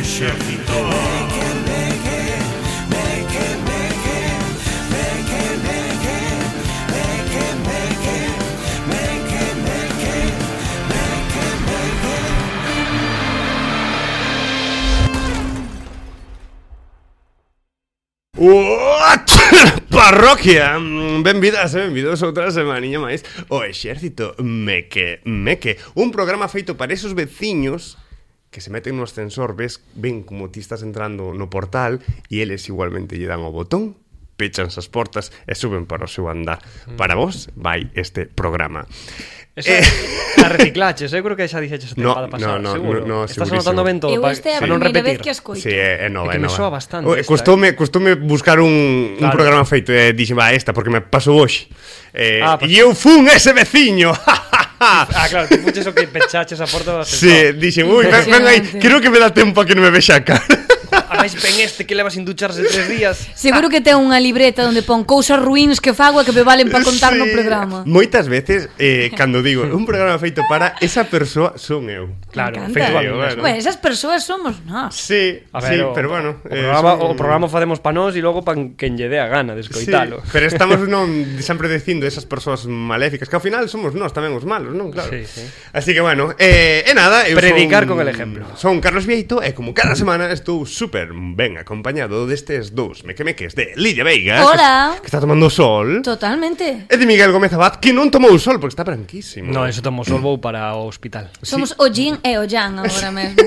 exército. Parroquia, benvidas e benvidos outra semaniña máis o Exército Meque. Un programa feito para esos veciños que se meten no ascensor, ven como ti estás entrando no portal e eles igualmente lle dan o botón, pechan as portas e suben para o seu andar. Para vos vai este programa. A reciclaches, eu creo que xa dixeches a tempada pasada, seguro. No, estás anotando ben todo para non repetir. Vez que escoito. Sí, é nova, é que me soa bastante. Costoume buscar un programa feito e dixen, esta, porque me pasou hoxe. E eu fun ese veciño. Claro, tú fuches o que pechaches a porta do Sí, ascensor. dixen, ven aí, creo que me dá tempo a que non me vexa a cara. A máis ven que leva sin ducharse 3 días. Seguro que ten unha libreta onde pon cousas ruíns que fago e que me valen para contar no programa. Moitas veces, cando digo un programa feito para esa persoa, son eu. Claro, feito a mí mesmo. Bueno, esas persoas somos nós. Sí, a ver, pero bueno, o programa facemos pa nós e logo pa quen lle dé a gana de escoitalo. Sí, pero estamos sempre dicindo esas persoas maléficas, que ao final somos nós tamén os malos, non? Claro. Sí. Así que bueno, nada, eu predicar con el ejemplo. Son Carlos Vieito e como cada semana estou super ben acompañado destes dous mequemeques de Lidia Veiga. Hola. Que está tomando sol. Totalmente. E de Miguel Gómez Abad, que non tomou sol porque está branquísimo. No, eso tomou sol, vou para o hospital. Somos o yin e o yang agora mesmo.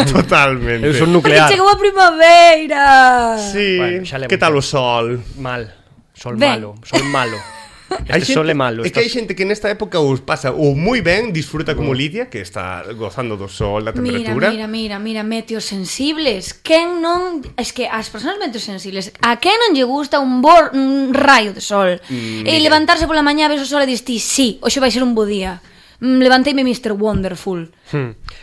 Totalmente. Eu son nuclear. Chegou a primavera. Sí, bueno, que tal o sol? Mal. Sol malo. Sol é malo. É que hai xente que nesta época os pasa ou moi ben, disfruta como Lidia, que está gozando do sol, da temperatura. Mira, meteosensibles. Quen non... Es que as persoas meteosensibles, a quen non lle gusta un raio de sol? E levantarse pola mañá, ves o sol e dis ti, sí, hoxe vai ser un bo día. Levanteime Mr. Wonderful.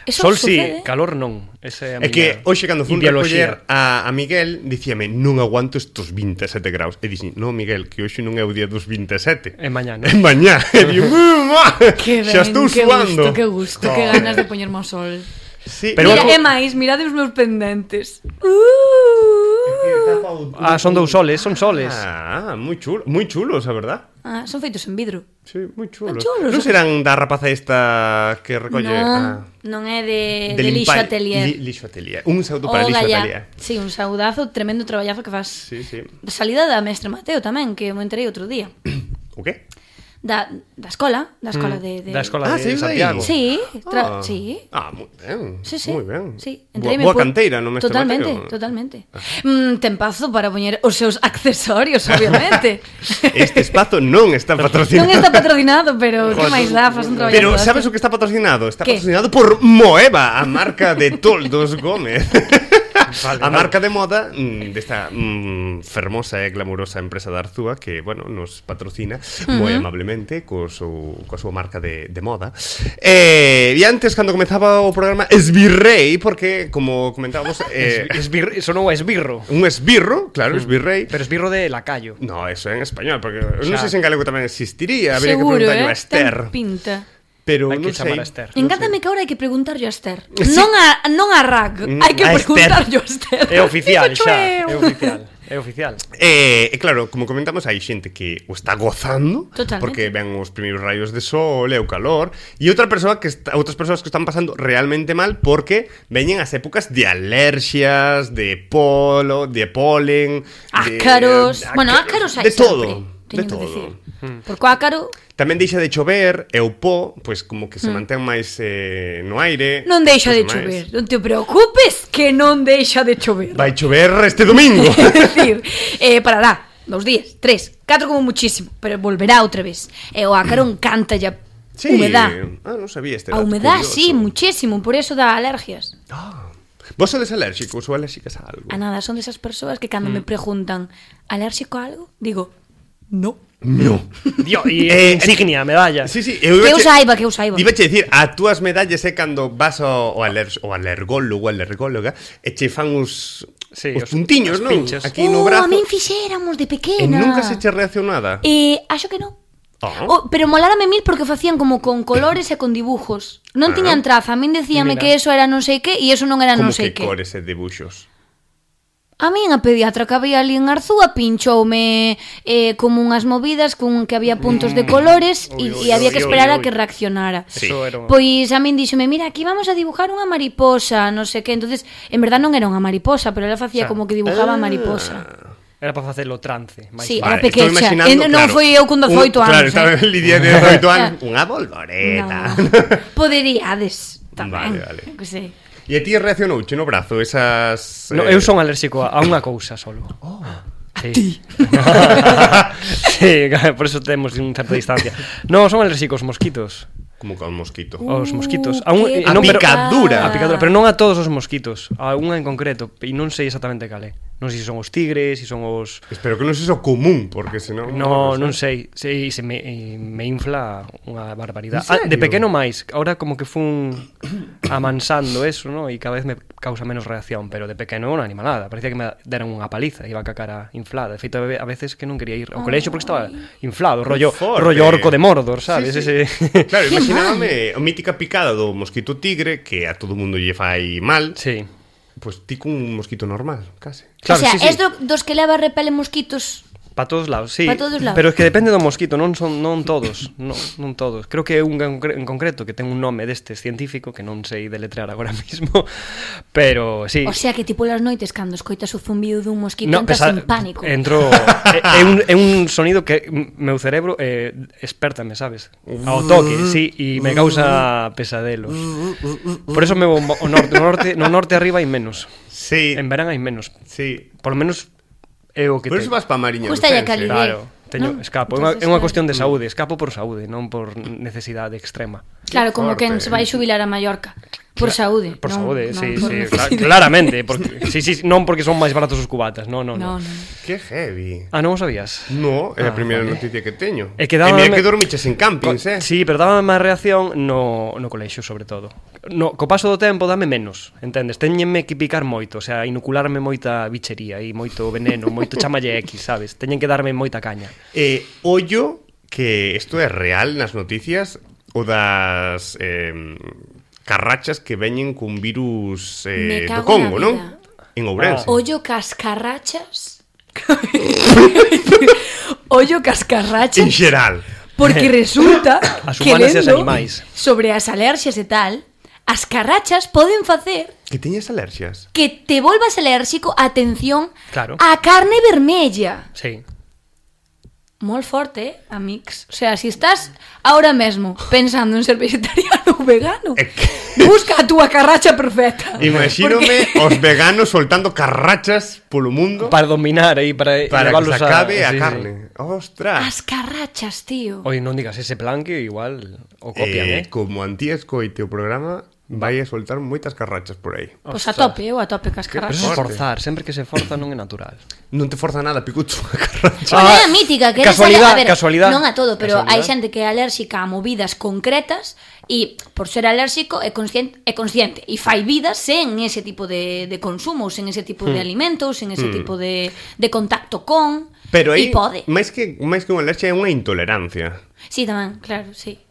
Sol sí, calor non. É que hoxe cando fun recoller a Miguel, dicíame, non aguanto estos 27 graus. E dixen, no, Miguel, que hoxe non é o día dos 27. É mañá, non? É mañá. E digo, xa estou suando. Que gusto, que ganas de poñerme ao sol. Sí, pero mira, é máis, mirade os meus pendentes. Son dous soles, son soles. Moi chulos, a verdad. Son feitos en vidro. Sí, moi chulos. Non serán da rapaza esta que recolle... Non é de Lixo Atelier. Lixo Atelier. Un saúdo para Lixo Atelier. Sí, un saudazo, tremendo traballazo que fas. Sí. Salida da mestre Mateo tamén, que me enterei outro día. O que? Da escola de Da escola de Santiago. Sí, sí. Moi ben. Sí. Moi ben. Sí, boa canteira, non me Totalmente. Tempazo para poñer os seus accesorios, obviamente. Este espazo non está patrocinado. Non está patrocinado, pero que máis dá, faz un traballo. Pero sabes o que está patrocinado? Está patrocinado por Moeva, a marca de Toldos Gómez. A marca de moda desta fermosa e glamurosa empresa de Arzúa que, bueno, nos patrocina moi amablemente coa súa marca de moda. E antes, cando comezaba o programa, esbirrei, porque, como comentábamos... Sonou a esbirro. Un esbirro, claro, esbirrei. Pero esbirro de lacayo. No, eso é en español, porque non sei se en galego tamén existiría. Habría que seguro, preguntarlo a Esther. Ten pinta. Pero hai que chamar a Esther. Encántame que ahora hai que preguntarlle a Esther. Non a Rag, hai que preguntarlle a Esther. É oficial xa, é oficial. E claro, como comentamos, hai xente que o está gozando. Totalmente. Porque ven os primeiros raios de sol e o calor. E outras persoas que están pasando realmente mal porque veñen as épocas de alerxias, de polen, ácaros. Bueno, ácaros hai de todo. De todo. Porque o ácaro tamén deixa de chover e o pó, pois como que se mantén máis no aire. Non deixa de chover, non te preocupes que non deixa de chover. Vai chover este domingo. É dicir, parará 2 días, 3, 4 como muchísimo, pero volverá outra vez. E o ácaro encanta ya humedad. Non sabía este dato. A humedad, sí, muchísimo, por eso dá alergias. Vos sodes alérxicos ou alérxicas a algo? A nada, son desas persoas que cando me preguntan alérxico a algo, digo, no. Dio, e insignia, medalla. Sí, que eu saiba. Iba che dicir, a túas medallas é cando vas ao alergólogo, a alergóloga, e che fan os puntiños, non? Pinches. Aquí no brazo. A min fixéramos de pequena. E nunca se che reaccionou nada? Acho que non. Pero molárame mil porque facían como con colores e con dibujos. Non tiñan traza, a min decíame que eso era non sei que e eso non era non sei que. Como que cores e dibuxos? A min a pediatra que había ali en Arzúa pinchoume como unhas movidas con que había puntos de colores e había que esperar a que reaccionara. Pois a min díxome, mira, aquí vamos a dibujar unha mariposa, non sei que. Entonces, en verdad non era unha mariposa, pero ela facía como que dibujaba a mariposa. Era para facelo trance. Sí, era pequecha. Non foi eu con 18 anos. Claro, estaba en Lidia de 18 anos. Unha bolboreta. Poderíades tamén. Vale. Que sei. E a ti reaccionouche no brazo esas... No, eu son alérxico a unha cousa solo. A ti? Sí, por eso temos unha certa distancia. No, son alérxicos aos mosquitos. Como que a un mosquito? Os mosquitos. A picadura. A picadura, pero non a todos os mosquitos. A unha en concreto. E non sei exactamente cal é. Non sei se son os tigres, se son os... Espero que non sexa o común, porque senón... Non sei. Se me infla unha barbaridade. De pequeno máis. Ahora como que fun amansando eso, ¿no? E cada vez me causa menos reacción. Pero de pequeno unha animalada. Parecía que me deran unha paliza. Iba ca cara inflada. De feito, a veces que non quería ir ao colexio porque estaba inflado. Rollo orco de Mordor, sabes? Sí. Claro, imaginábame a mítica picada do mosquito tigre, que a todo mundo lle fai mal. Sí. Pois ti con un mosquito normal, case. Claro, o sea, es dos que leva repele mosquitos... Para todos lados, sí. Todos lados. Pero es que depende do mosquito, non todos, non todos. Creo que é un en concreto que ten un nome destes científico que non sei deletrear agora mismo, pero sí. O sea, que tipo las noites cando escoitas o zumbido dun mosquito entras en pánico. É un sonido que meu cerebro espértame, sabes? Ao toque, sí, e me causa pesadelos. Por eso me vou no norte arriba hai menos. Sí. En verán hai menos. Sí. Por lo menos é o que por eso vas pa Mariña Lucense. Claro, escapo. É unha cuestión de saúde. Escapo por saúde, non por necesidade extrema. Claro, como quen se vai xubilar a Mallorca. Por saúde. Por saúde, sí, claramente. Sí, non porque son máis baratos os cubatas. No. Que heavy. Non o sabías? No, é a primeira noticia que teño. E mira que dormiches en campings, Sí, pero dábame máis reacción no colexio, sobre todo. Co paso do tempo dame menos, entendes? Teñenme que picar moito, o sea, inocularme moita bichería e moito veneno, moito chamalle X, sabes? Teñen que darme moita caña. Ollo que isto é real nas noticias o das carrachas que veñen cun virus do Congo, non? En Ourense. Ollo cascarrachas. Ollo cascarrachas. En xeral. Porque resulta que lendo sobre as alerxias e tal, as carrachas poden facer que teñas alerxias. Que te volvas alérxico, atención, claro, a carne vermella. Sí. Moi forte, amix. O sea, si estás ahora mesmo pensando en ser vegetariano ou vegano, busca a túa carracha perfecta. Imagínome os veganos soltando carrachas polo mundo para dominar aí, para que se acabe a carne. Ostras. As carrachas, tío. Oi, non digas ese plan que igual o copian, Como Antía escoite o programa, vai a soltar moitas carrachas por aí. Pois a tope cas carrachas. Pero forzar, sempre que se forza non é natural. Non te forza nada, Picucho, a carracha. É a mítica, que casualidade. Non a todo, pero hai xente que é alérxica a movidas concretas e por ser alérxico é consciente e fai vidas sen ese tipo de consumo, sen ese tipo de alimentos, sen ese tipo de contacto con. Pero aí, máis que unha alerxia é unha intolerancia. Sí, tamén, claro, sí.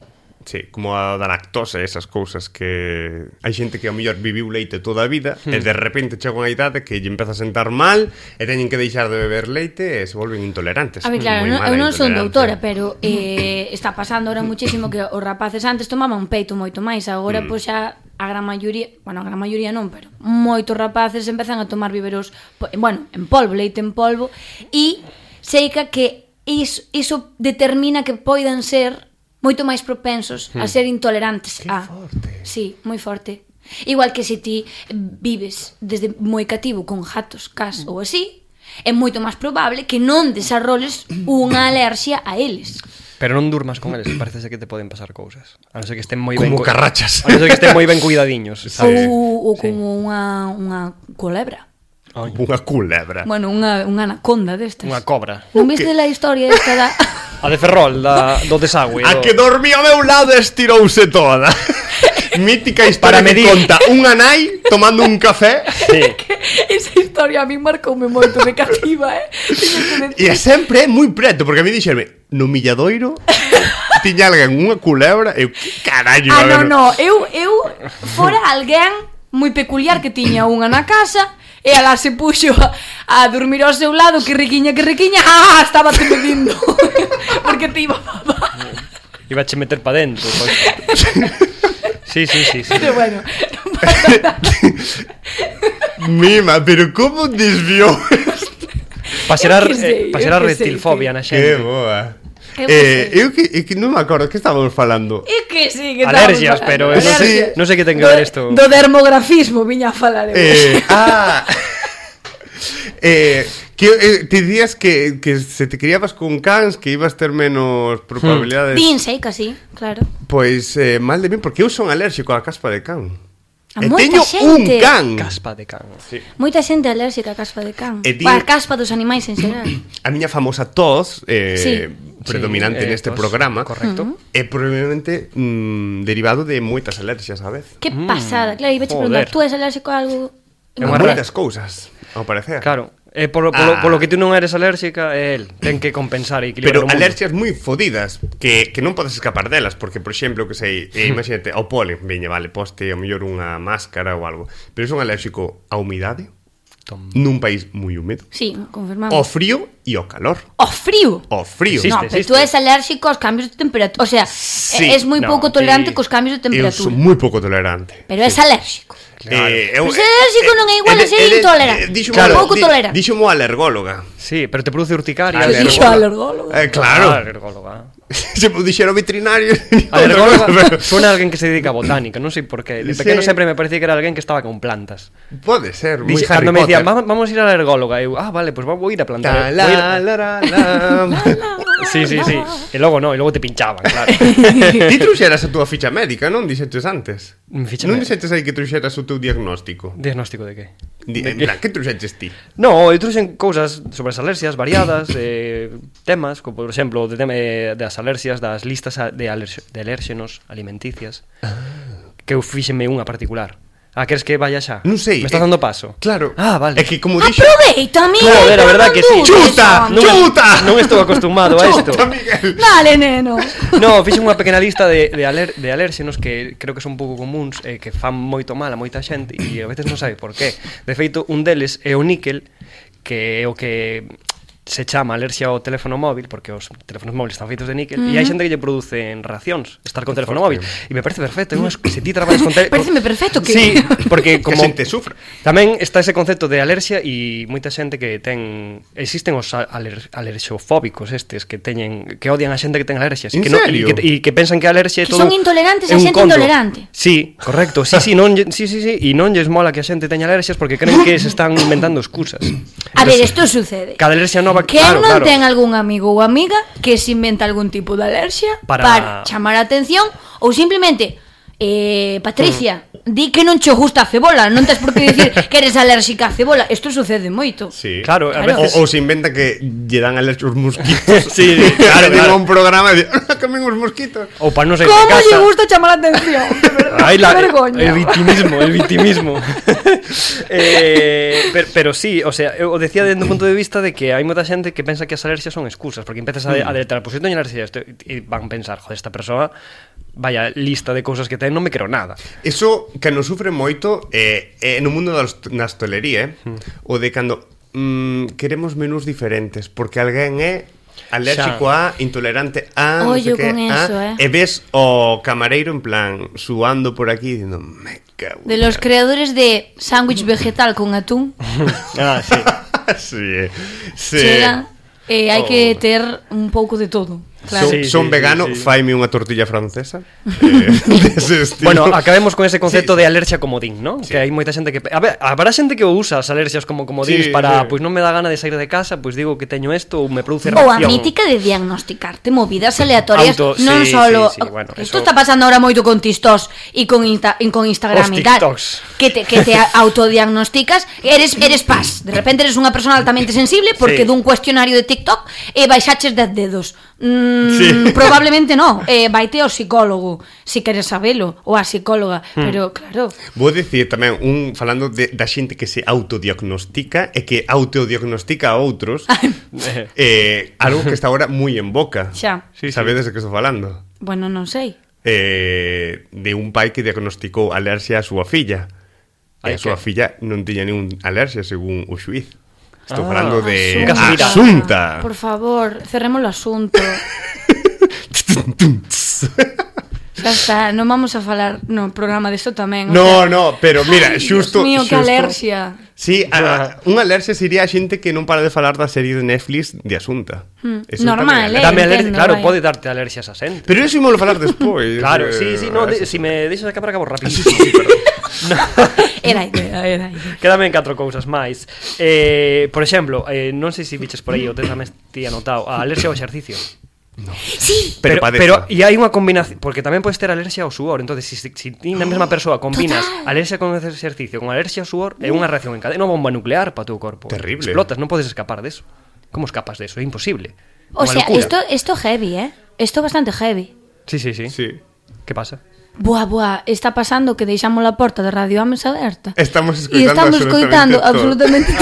Sí, como a da lactosa e esas cousas que hai xente que ao mellor viviu leite toda a vida e de repente chega unha idade que lle empeza a sentar mal e teñen que deixar de beber leite e se volven intolerantes. A ver, claro, eu non son doutora, pero está pasando ahora muchísimo que os rapaces antes tomaban peito moito máis, agora pois xa a gran maioría non, pero moitos rapaces empezan a tomar biberos, en polvo, leite en polvo, e seica que iso determina que poidan ser moito máis propensos a ser intolerantes a... forte. Sí, moi forte. Igual que se ti vives desde moi cativo con gatos, cas ou así, é moito máis probable que non desarrolles unha alerxia a eles. Pero non durmas con eles, parece que te poden pasar cousas. A non ser que estén moi ben... Como carrachas. A non ser que estén moi ben cuidadiños. Ou como unha culebra. Unha culebra. Bueno, unha anaconda destas. Unha cobra. Non viste a historia esta da... A de Ferrol, do desagüe. A que dormía ao meu lado estirouse toda. Mítica historia que conta unha nai tomando un café. Sí. Esa historia a mí marcoume moito de cativa, E sempre é moi preto, porque a mí dixerme, no Milladoiro tiña alguén unha culebra, eu, que carallo, no, eu fora alguén moi peculiar que tiña unha na casa e alá se puxo a dormir ao seu lado, que riquiña, estaba te medindo porque te iba a papar. Iba a che meter pa dentro, pues. Sí. Pero bueno, Mima, pero como desviou? Pasear reptilfobia na xente. Que boa. Eu que non me acordo, que estábamos falando? É que sí, que alergias, pero non sei que ten que ver isto. Do dermografismo viña a falar. Te dicías que se te criabas con cans, que ibas ter menos probabilidades. Dinse, casi, claro. Pois mal de mí, porque eu son alérxico á caspa de can. A E moita teño un xente. can. Caspa de can. Sí. Moita xente alérxica a caspa de can. E A caspa dos animais en xeral. A miña famosa tos Sí. predominante neste tos, programa, correcto. é probablemente derivado de moitas alerxias a vez. Que pasada. Claro, iba a preguntar, Joder. tú és alérxico a algo? É unha Moitas cousas, ao parecer. Claro. Polo que tú non eres alérxica, é el. Ten que compensar e equilibrar Pero o mundo. alerxias moi fodidas que non podes escapar delas, porque, por exemplo, que sei, imagínate, ao polen, veña, vale, poste ao mellor unha máscara ou algo, pero son alérxico á humidade, nun país moi húmedo, Sí, confirmamos. ao frío e ao calor. O frío. Ao frío. Existe, No, pero tú és alérxico aos cambios de temperatura. O sea, Sí. és moi No, pouco tolerante cos cambios de Eu temperatura. son moi pouco tolerante. Pero és alérxico. Claro. Pero ser alérxico non é igual a ser intolerante. Pouco tolerante. Dixo mo alergóloga. Sí, pero te produce urticaria. Dixo alergólogo. Claro. Claro. Alergóloga. Se me dixeron veterinario. Alergóloga suena a alguén que se dedica a botánica, non sei por qué. De Sí. pequeno sempre me parecía que era alguén que estaba con plantas. Pode ser, moi Harry Cando me Potter. decían, vamos a ir a la alergóloga, eu, vale, pues vou ir a plantar. Ta, la, la, la, la. Sí. E logo no, e logo te pinchaban, claro. Ti trouxeras a túa ficha médica, non? Dixetes antes. Ficha Non médica. dixetes aí que trouxeras o teu diagnóstico. Diagnóstico de que? En plan, que trouxetes ti? No, eu trouxen cousas sobre as alerxias variadas, temas, como por exemplo, de tema das alerxias, das listas de alérxenos alimenticias, que eu fíxenme unha particular. Queres que vaya xa? Non sei. Me estás dando paso? Claro. Vale. É que como dixo... Aproveita, Miguel. Joder, a verdad que sí. Chuta, chuta. Non estou acostumado a isto. Chuta, Miguel. Dale, neno. No, fixen unha pequena lista de alérxenos que creo que son un pouco comuns e que fan moito mal a moita xente e a veces non sabe por qué. De feito, un deles é o níquel, que é o que se chama alerxia ao teléfono móvil, porque os teléfonos móviles están feitos de níquel, e hai xente que lle producen reaccións estar con teléfono móvil, e me parece perfecto, se ti traballas con Pareceme perfecto que... Sí, porque como Que xente sufre. tamén está ese concepto de alerxia e moita xente que ten existen os alerxofóbicos estes que odian a xente que ten alerxias En que serio? e que pensan que a alerxia é Que todo son intolerantes é a un xente conto. intolerante. Sí, correcto. Sí, e non lles mola que a xente teña alerxias porque creen que se están inventando excusas. A ver, isto sucede. Cada alerxia nova, Quen claro, non claro. ten algún amigo ou amiga que se inventa algún tipo de alerxia para chamar a atención ou simplemente Patricia, di que non che gusta a cebola, non tes por que dicir que eres alérxica a cebola. Isto sucede moito. Sí. Claro, a veces Ou se inventa que lle dan alergia os mosquitos. Sí, claro, Digo claro. un programa e di, comen os mosquitos. ou para non ser Como de lle casa. gusta chamar a atención? De verdade, Ai, que vergoña. el victimismo. Pero sí, o sea, eu decía desde un punto de vista de que hai moita xente que pensa que as alerxias son excusas, porque empezas a deletrar, pois eu teño alergia a isto, e van pensar, joder, esta persoa vaya lista de cousas que ten, non me creo nada. Eso que nos sufre moito no mundo da hostelería, o de cando queremos menús diferentes, porque alguén é alérxico a, intolerante a, non sei Ollo que, con eso, e ves o camareiro en plan suando por aquí dicindo, me cago. De los creadores de sándwich vegetal con atún. Sí. Sí. Chega, hai que ter un pouco de todo. Claro. Son vegano, faime unha tortilla francesa. Dese estilo. Bueno, acabemos con ese concepto de alerxia comodín, ¿no? Sí. Que hai moita xente que... A ver, habrá xente que usa as alerxias como comodíns para, pois non me dá gana de sair de casa, pois digo que teño isto ou me produce reacción. Ou a mítica de diagnosticarte movidas aleatorias, non solo... Bueno, isto está pasando ahora moito con TikToks e con Instagram Os e tal. TikToks. Que te autodiagnosticas, eres paz. De repente eres unha persona altamente sensible porque dun cuestionario de TikTok e baixaches 10 dedos. Probablemente no. Vaite ao psicólogo se queres sabelo, ou a psicóloga, pero claro. Vou dicir tamén, falando da xente que se autodiagnostica e que autodiagnostica a outros, algo que está agora moi en boca. Xa. Sabedes de que estou falando? Bueno, non sei. De un pai que diagnosticou alerxia a súa filla. E a súa filla non tiña ningún alerxia según o xuiz. Estou falando de Asunta. Por favor, cerremos o asunto. Xa está, non vamos a falar no programa desto tamén. No, pero mira, xusto... Dios mío, que alerxia. Sí, unha alerxia sería a xente que non para de falar da serie de Netflix de Asunta. Normal, Dame alerxia, claro, pode darte alerxias a xente. Pero eso ímolo falar despois. Claro, sí, no, si me deixas acabar rápido. Sí, perdón. Era idea. Quédame en 4 cousas máis. Por exemplo, non sei se biches por aí, o tes tamén ti anotado, a alerxia ao exercicio. No. Sí. Pero e hai unha combinación, porque tamén podes ter alerxia ao suor. Entonces, se ti na mesma persoa combinas alerxia con exercicio con alerxia ao suor, é unha reacción en cadena, unha bomba nuclear para o teu corpo. Terrible. Explotas, non podes escapar deso. Como escapas deso? É imposible. O sea, esto heavy, Esto bastante heavy. Sí. Que pasa? Buah, está pasando que deixamos a porta de Radio Ames aberta. Estamos escoitando absolutamente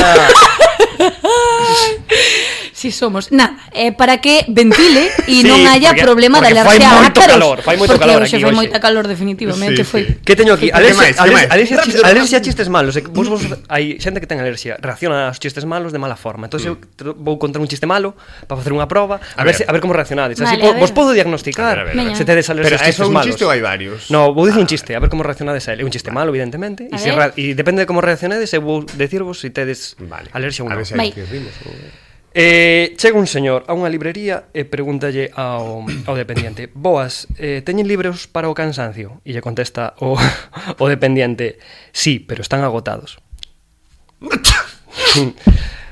Si somos, nada, para que ventile e non haya problema de alergia a ácaros. Fai moito calor aquí. Fai moita calor definitivamente. Que teño aquí? Alerxia a chistes malos. Vos hai xente que ten alerxia, reacciona aos chistes malos de mala forma. Entón eu vou contar un chiste malo para facer unha proba, a ver como reaccionades. Así vos podo diagnosticar se tedes alerxia a chistes malos. Pero é un chiste ou hai varios? No, vou dicir un chiste, a ver como reaccionades a ele. É un chiste malo, evidentemente, e depende de como reaccionades, eu vou decirvos se tedes alerxia ou non. Chega un señor a unha librería e pregúntalle ao dependiente: boas, teñen libros para o cansancio? E lle contesta o dependiente: sí, pero están agotados.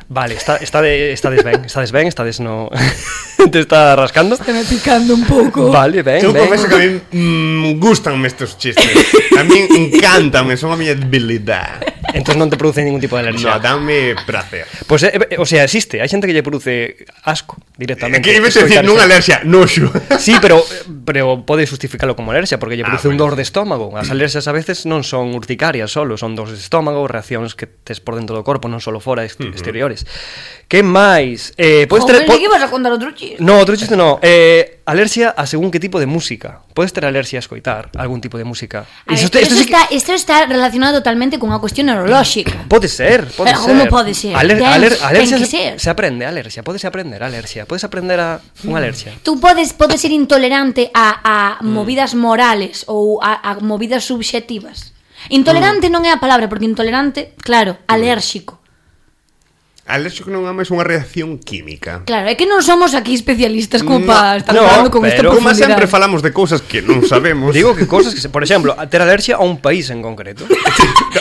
Vale, estades ben, no... Te está rascando? Está me picando un pouco. Vale, ben. Eu confeso que a mí gústanme estes chistes. A mí encántanme, son a miña debilidade. Entón non te produce ningún tipo de alerxia. No, danme prazer. Pois, o sea, existe. Hai xente que lle produce asco directamente. Que ibas a decir, non alerxia, noxo. Sí, pero pode justificalo como alerxia, porque lle produce un dor de estómago. As alerxias a veces non son urticarias solo, son dores de estómago, reaccións que tes por dentro do corpo, non solo fora, exteriores. Que máis? Joder, que ibas a contar outro chiste? No, outro chiste no. Alerxia a según que tipo de música. Podes ter alerxia a escoitar algún tipo de música. Isto está relacionado totalmente con unha cuestión neurolóxica. Pode ser. Como pode ser? Alerxia se aprende, alerxia. Podes aprender alerxia. Podes aprender a unha alerxia. Tú podes ser intolerante a movidas morales ou a movidas subxectivas. Intolerante non é a palabra, porque intolerante, claro, alérxico. Alérxico non é máis unha reacción química. Claro, é que non somos aquí especialistas como para estar falando con esta profundidade. Como sempre falamos de cousas que non sabemos. Digo que cousas que, por exemplo, ter alerxia a un país en concreto.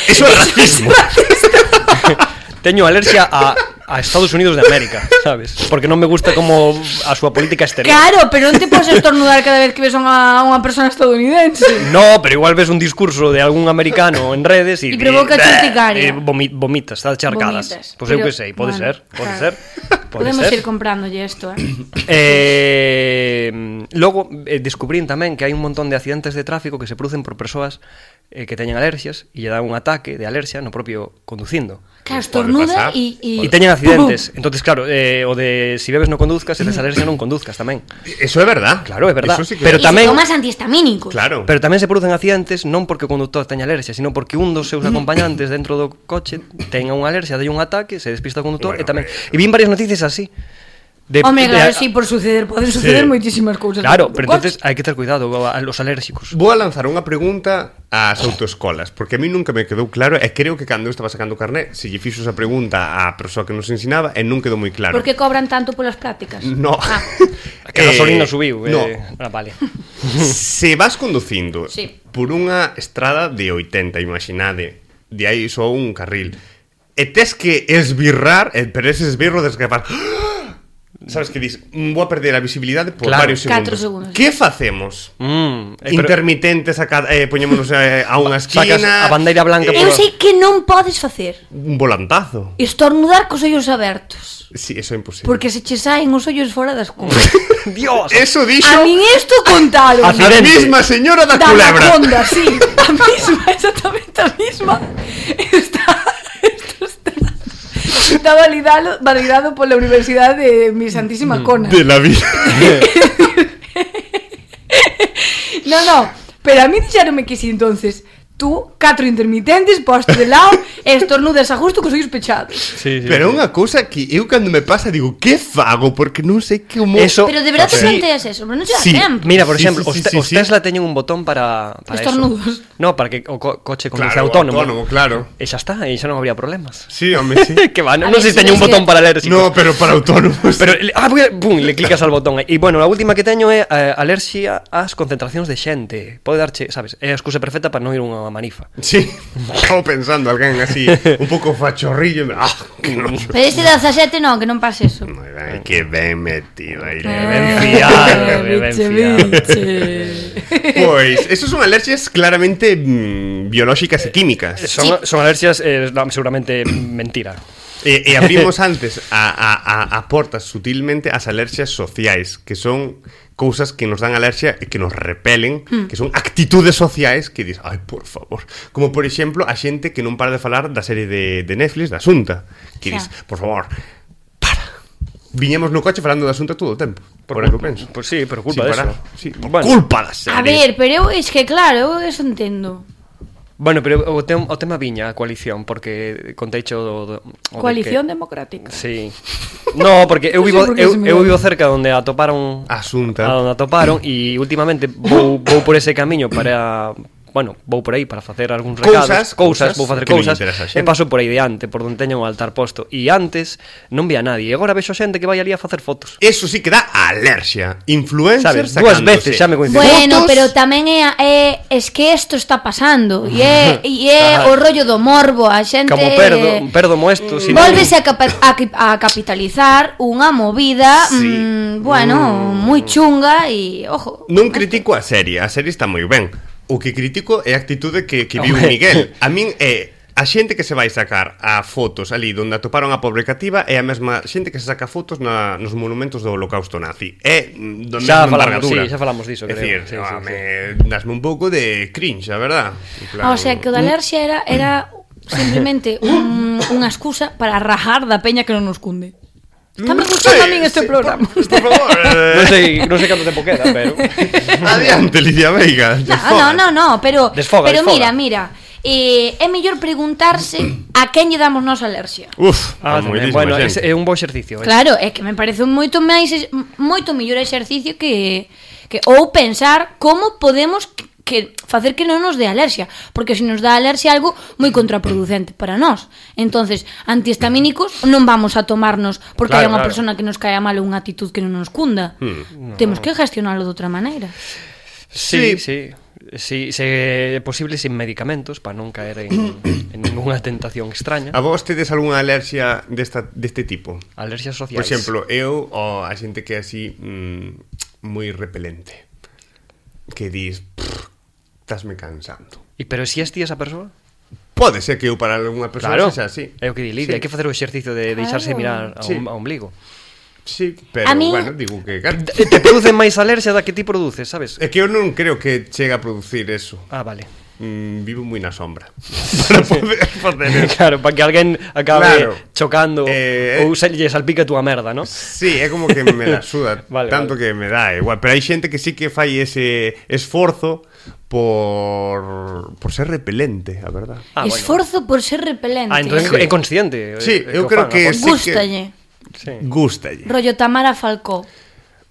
Eso é racismo. Teño alerxia a Estados Unidos de América, sabes? Porque non me gusta como a súa política exterior. Claro, pero non te podes estornudar cada vez que ves a unha persona estadounidense. No, pero igual ves un discurso de algún americano en redes e provoca urticaria. Vomitas, está charcadas. Pois eu que sei, pode ser. Podemos ir comprándolle isto, Logo, descubrín tamén que hai un montón de accidentes de tráfico que se producen por persoas que teñen alerxias e lle dan un ataque de alerxia no propio conducindo. Claro, estornuda e teñen accidentes. Entonces, claro, o de si bebes non conduzcas, se tes alerxia non conduzcas tamén. Eso é verdad. Claro, é verdad. Sí que... Pero tamén se tomas antihistamínicos. Claro. Pero tamén se producen accidentes non porque o conductor teña alerxia, sino porque un dos seus acompañantes dentro do coche tenga unha alerxia, dai un ataque, se despista o condutor e tamén. E vin varias noticias así. Hombre, claro, sí, por suceder, poden suceder moitísimas cousas. Claro, pero entonces hai que ter cuidado a los alérxicos. Vou a lanzar unha pregunta ás autoescolas, porque a mí nunca me quedou claro, e creo que cando eu estaba sacando o carné, se lle fixo esa pregunta á persoa que nos ensinaba, e non quedou moi claro. Por que cobran tanto polas prácticas? No. Que a gasolina subiu. No. Vale. Se vas conducindo por unha estrada de 80, imaginade, de aí só un carril, e tes que esbirrar, pero ese esbirro des que faz... Sabes que dis, vou a perder a visibilidade por varios segundos. 4 segundos. Que facemos? Intermitentes, poñémonos a unha Sacas esquina. a bandeira blanca. Eu sei que non podes facer Un volantazo. estornudar cos ollos abertos. Sí, eso é imposible. Porque se che saen os ollos fora das cundas. Dios. Eso dixo A min isto contaron. a mesma señora da culebra. Anaconda, sí. A mesma, exactamente a mesma. Está validado pola Universidade de Mi Santísima Cona. De la vida. No, pero a mí dixeronme que si entonces tú, 4 intermitentes, postos de lado e estornudas a gusto cos ollos pechados. Sí, Pero unha cousa que eu cando me pasa digo, que fago? Porque non sei como... Eso- Pero de verdad te Sí. planteas eso, pero non se dá Sí. tempo. Mira, por Sí, exemplo, sí, os sí. Tesla teñen un botón para Estornudos. eso. No, para que o coche conduce Claro, autónomo. claro. E xa está, e xa non habría problemas. Sí, home, sí. Que va, A non ver, sei se si teñen un ves botón que- para ler. No, pero para autónomos. Pero, pum, le clicas al botón. E, bueno, a última que teño é alerxia ás concentracións de xente. Pode darche, sabes, é a excusa perfecta para non ir a unha manifa. Sí, estaba pensando alguén así, un pouco fachorrillo. Que non... Pero este 17 non, que non pase eso. Ai, que ben metido aí. Ben fiado, ben fiado. Pois, esos son alerxias claramente biolóxicas e químicas. Son alerxias, no, seguramente mentira. E abrimos antes a portas sutilmente as alerxias sociais, que son cousas que nos dan alerxia e que nos repelen, que son actitudes sociais que dis, ai, por favor. Como, por exemplo, a xente que non para de falar da serie de Netflix, da Asunta, que dis, por favor, para. Viñemos no coche falando da Asunta todo o tempo, por que penso. Pues sí, por culpa de para. eso. Sí, por Bueno. culpa da serie. A ver, pero eu es que claro, eu eso entendo. Bueno, pero o tema viña a coalición, porque conteicho o Coalición de que... Democrática. Sí. No, porque eu Non sei vivo por que eu, se me eu vai. vivo cerca onde atoparon Asunta. onde atoparon e últimamente vou por ese camiño para vou por aí para facer algúns recados, Cousas vou facer que lle cousas interesa a e xente. paso por aí diante, por onde teño o altar posto. E antes non vía nadie, e agora vexo xente que vai ali a facer fotos. Eso sí que dá alerxia. Influencers Sabes, dúas veces xa me coincidiu. Bueno, Fotos. pero tamén es que isto está pasando e é o rollo do morbo, a xente Como perdo moesto, si volvese a capitalizar unha movida Sí. bueno, moi chunga e ojo. Non critico a serie está moi ben. O que critico é a actitude que viu Home. Miguel. A min é a xente que se vai sacar a fotos ali donde atoparon a pobre cativa é a mesma xente que se saca fotos nos monumentos do holocausto nazi. É do Xa mesma falamos, envergadura. sí, xa falamos diso, É creo. dicir, Sí. dasme un pouco de cringe, a verdad. En plan, O sea, que o da alerxia era simplemente unha excusa para rajar da peña que non nos cunde. Está me gustando a min este programa. Por favor. Non sei canto tempo queda, pero Adiante, Lidia Veiga. No, pero Desfoga. mira, é mellor preguntarse a quen lle damos nos alerxia. Uf, tamén, bueno, é un bo exercicio. Claro, é que me parece moito mellor exercicio que ou pensar como podemos que facer que non nos dé alerxia, porque se nos dá alerxia algo moi contraproducente para nós. Entonces, antihistamínicos non vamos a tomarnos porque hai unha persona que nos cae mal ou unha actitud que non nos cunda. Temos que gestionalo de outra maneira. Sí, se é posible sin medicamentos para non caer en ninguna tentación extraña. A vos tedes algunha alerxia deste tipo? Alerxias sociais. Por exemplo, eu a xente que é así moi repelente, que dis, estásme cansando. E pero si ti esa persoa? Pode ser que eu para algunha persoa Claro, sexa así. é o que di Lidia, Sí. hai que facer o exercicio de deixarse mirar Sí. ao ombligo. Sí, pero A min- bueno, digo que Te produce máis alerxia da que ti produces, sabes? é que eu non creo que chegue a producir eso. Ah, vale. Vivo moi na sombra para poder facer eso. Claro, para que alguén acabe Claro. chocando ou se lle salpica a túa merda, ¿no? Sí, é como que me la suda Vale, tanto que me dá igual. Pero hai xente que sí que fai ese esforzo por ser repelente, a verdad. Ah, bueno. Esforzo por ser repelente. Entón Sí. é consciente. Sí, eu o creo fan, que a sí Gústalle. Sí. Gústalle. Rollo Tamara Falcó.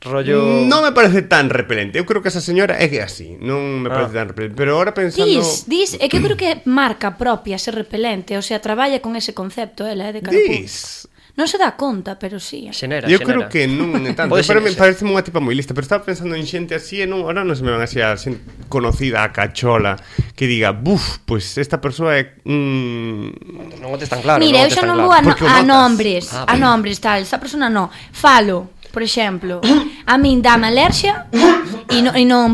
Rollo... Non me parece tan repelente. Eu creo que esa señora é que é así. Non me parece tan repelente. Pero ahora pensando... É que eu creo que é marca propia ser repelente. O sea, traballa con ese concepto, ela é de cara Dis. Non se dá conta, pero sí. Xenera, Eu creo que non é tanto. Pode Pero me ser. parece unha tipa moi lista. Pero estaba pensando en xente así e non, ahora non se me van así a xente conocida, a cachola, que diga, buf, pues esta persoa é... Non o tes tan claro. Mira, non o eu tes xa tan non claro. vou Porque o a notas. nombres, Ah, a vale. nombres tal, esa persona non. Falo por exemplo, a min dame alerxia e non aí non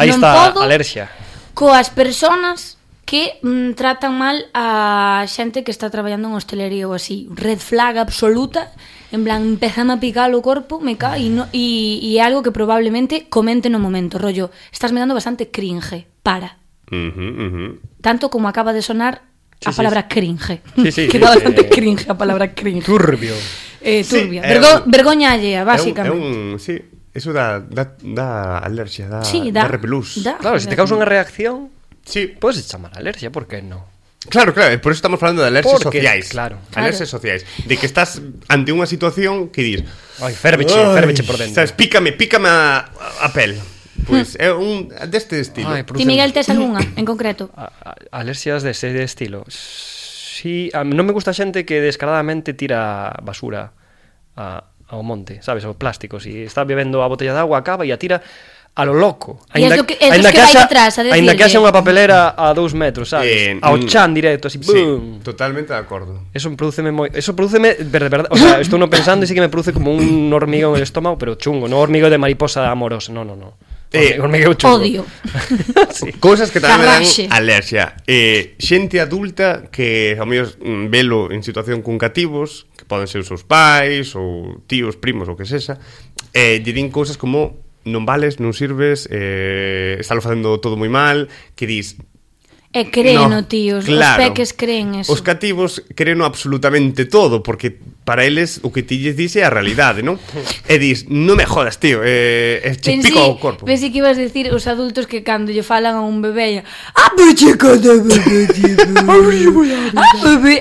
está podo a alerxia coas persoas que tratan mal a xente que está traballando en hostelería ou así. Red flag absoluta, en plan, empezame a picar o corpo, me cae, e é algo que probablemente comente no momento, rollo, estás me dando bastante cringe, para. Tanto como acaba de sonar a palabra cringe. Que dá bastante cringe a palabra cringe. Turbio. Turbia. Vergoña allea, básicamente. Sí, eso dá alerxia, dá repelús. Claro, se te causa unha reacción, sí, podes chamar alerxia, por que non? Claro, por eso estamos falando de alerxias sociais. Claro. Alerxias sociais. De que estás ante unha situación que dis, ai, ferveche por dentro. Sabes, pícame a pel. Pois é un deste estilo. Ti, Miguel, tes algunha en concreto? Alerxias dese estilo. Sí, non me gusta a xente que descaradamente tira basura ao monte, sabes, ao plástico. Si está bebendo a botella de agua, acaba e a tira a lo loco. Ainda que vai detrás a decirle. Ainda que haxa unha papelera a 2 metros, sabes? Ao chan directo, así, boom. Sí, totalmente de acordo. Eso prodúceme verdade, o sea, estou non pensando e sí que me produce como un hormigón en el estómago, pero chungo, non hormigón de mariposa amorosa, no. Hormigueo chungo. Odio. Sí. Cousas que tamén me dan alerxia. Xente adulta que ao mellor velo en situación con cativos, que poden ser os seus pais ou tíos, primos ou que sexa, lle din cousas como non vales, non sirves, estalo facendo todo moi mal, que dis... E creno, tíos, claro, os peques creen eso. Os cativos creno absolutamente todo, porque para eles o que ti lles dice é a realidade, non? E dis, non me jodas, tío, che pico ao corpo. Pensei que ibas a decir os adultos que cando lle falan a un bebé, chico de bebé,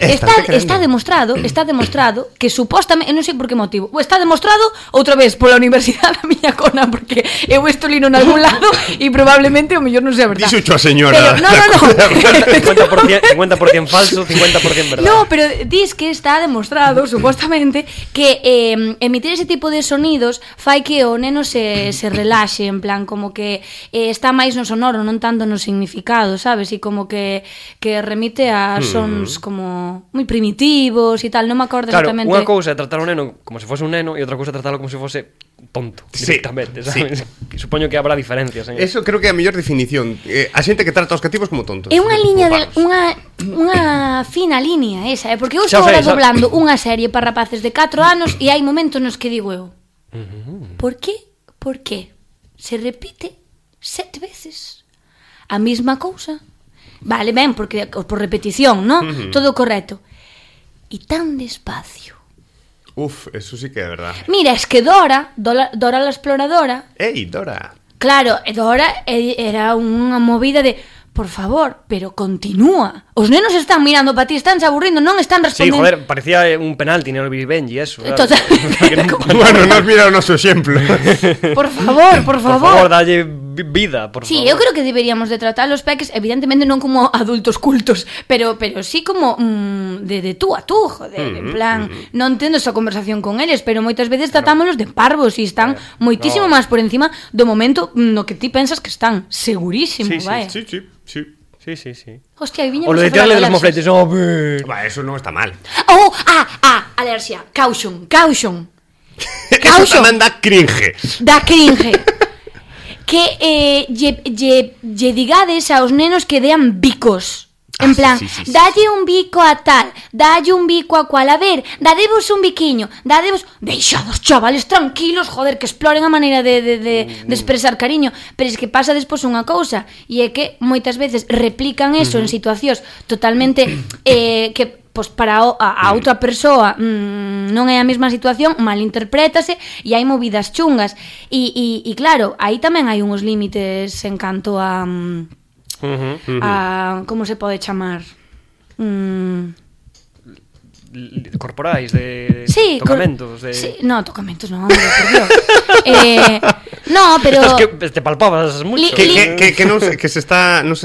está demostrado que supostamente, non sei por que motivo, está demostrado outra vez pola universidade da miña cona, porque eu isto lino en algún lado e probablemente o mellor non sea verdade. Dixo a señora. Pero, no. 50% falso, 50% verdade. No, pero dis que está demostrado, supuestamente, que emitir ese tipo de sonidos fai que o neno se relaxe, en plan, como que está máis no sonoro, non tanto no significado, sabes? E como que remite a sons como moi primitivos e tal, non me acordo exactamente. Claro, unha cousa é tratar o neno como se fose un neno e outra cousa é tratarlo como se fose tonto, directamente, sabes? Sí. Supoño que habrá diferencias, ¿eh? Eso creo que é a mellor definición. A xente que trata os cativos como tontos. É unha liña unha fina liña esa, porque eu estou doblando unha serie para rapaces de 4 anos e hai momentos nos que digo eu, por qué se repite 7 veces a mesma cousa? Vale, ben, porque por repetición, ¿no? Todo correcto. E tan despacio. Uf, eso sí que é verdad. Mira, es que Dora la exploradora... Ei, Dora. Claro, Dora era unha movida de... Por favor, pero continúa. Os nenos están mirando para ti, están se aburrindo, non están respondendo. Sí, joder, parecía un penalti, non olvidé Benji, eso. Total. Bueno, nos mira o noso exemplo. Por favor. Por favor, dalle vida, por sí, favor. Eu creo que deberíamos de tratar os peques, evidentemente non como adultos cultos, pero sí como de tú a tú, joder, en plan, non tendo esa conversación con eles, pero moitas veces tratámolos de parvos e están moitísimo máis por encima do momento no que ti pensas que están, segurísimo, vai. Sí. Hostia, viñemos o lo de tirarle de los mofletes, a ver. Va, eso non está mal. Alerxia, caution. Eso tamén dá cringe. Que lle digades aos nenos que dean bicos. En plan, dalle un bico a tal, dalle un bico a cual, a ver, dadevos un biquiño, deixados chavales tranquilos, joder, que exploren a maneira de expresar cariño. Pero es que pasa despois unha cousa, e é que moitas veces replican eso en situacións totalmente que pois para a outra persoa non é a mesma situación, malinterprétase e hai movidas chungas. E claro, aí tamén hai uns límites en canto a como se pode chamar? Corporais, de tocamentos, de... Sí, no, tocamentos non, hombre, por Dios. No, pero... Esto es que te palpabas mucho. Que non se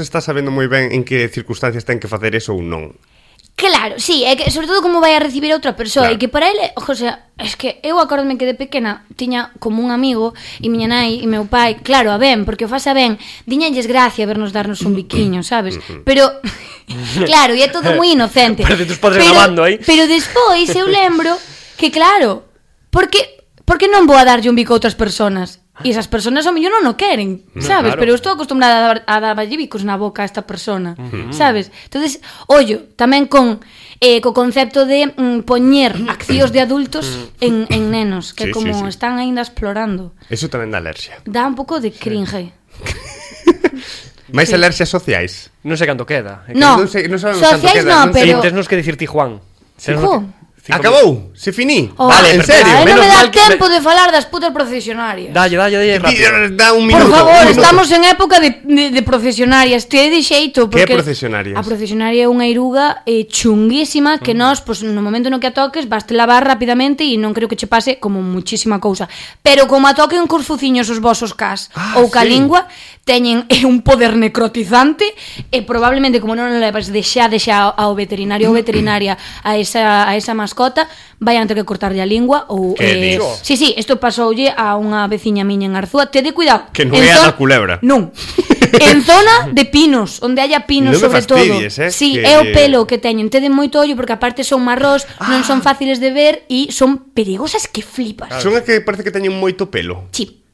está sabendo moi ben en que circunstancias ten que facer eso ou non. Claro, sí, é que sobre todo como vai a recibir a outra persoa, claro. E que para ele, o sea, es que eu acórdome que de pequena tiña como un amigo e miña nai e meu pai, claro, a ben, porque o fasa ben, diñalles gracia vernos darnos un biquiño, sabes? Pero claro, e é todo moi inocente. Parece tus padres grabando aí. Pero despois eu lembro que claro, Porque non vou a darlle un bico a outras personas? E esas personas ao mellor non o queren, sabes? Claro. Pero eu estou acostumbrada a darlle bicos na boca a esta persona, sabes? Entonces, ollo, tamén co concepto de poñer accións de adultos en nenos, que como están aínda explorando. Eso tamén dá alerxia. Dá un pouco de cringe. Mais alerxias sociais? Non sei canto queda. No, sociais non, pero... Tens nos que dicir ti, Juan. Acabou, se finí. Vale, en serio. Non me dá tempo de falar das putas procesionarias. Dalle rápido. Dá un minuto. Por favor, estamos en época de procesionarias. Te de xeito. Que procesionarias? A procesionaria é unha iruga chunguísima que nós, pues, no momento no que a toques, vaste lavar rapidamente e non creo que che pase como muchísima cousa. Pero como a toquen cos fuciños os vosos cas ou ca lingua, teñen un poder necrotizante e probablemente como non levas de xa ao veterinario ou veterinaria a esa mascota, vayan ter que cortarlle a lingua ou sí, isto pasoulle a unha veciña miña en Arzúa. Tede cuidado. Que non é a culebra. Non. En zona de pinos, onde haya pinos sobre todo. Sí, é o pelo que teñen. Tede moito ollo porque aparte son marrós, non son fáciles de ver e son perigosas que flipas. Son as que parece que teñen moito pelo. Sí.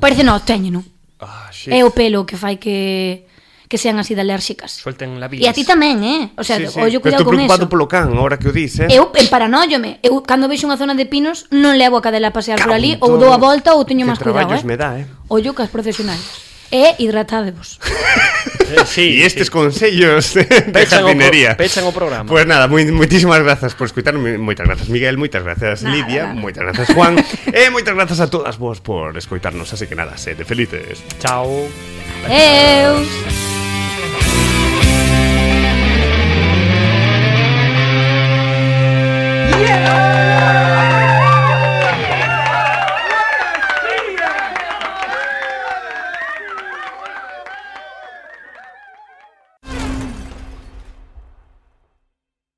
Parece teñen, non? É o pelo que fai que sean así de alérxicas. Suelten la bilis. E a ti tamén, O sea, ollo cuidado con eso. Estou preocupado polo can, ahora que o dis, Eu emparanoiome. Eu, cando vexo unha zona de pinos, non levo a cadela a pasear por ali, ou dou a volta, ou teño máis cuidado, me dá, Ollo cas profesionales. E hidratádevos. E estes consellos de jardinería. Pechan o programa. Pues nada, moitísimas grazas por escutarme. Moitas grazas, Miguel, moitas grazas, Lidia, moitas grazas, Juan. E moitas grazas a todas vos por escoitarnos. Así que nada, sede felices. Chao. Adeus.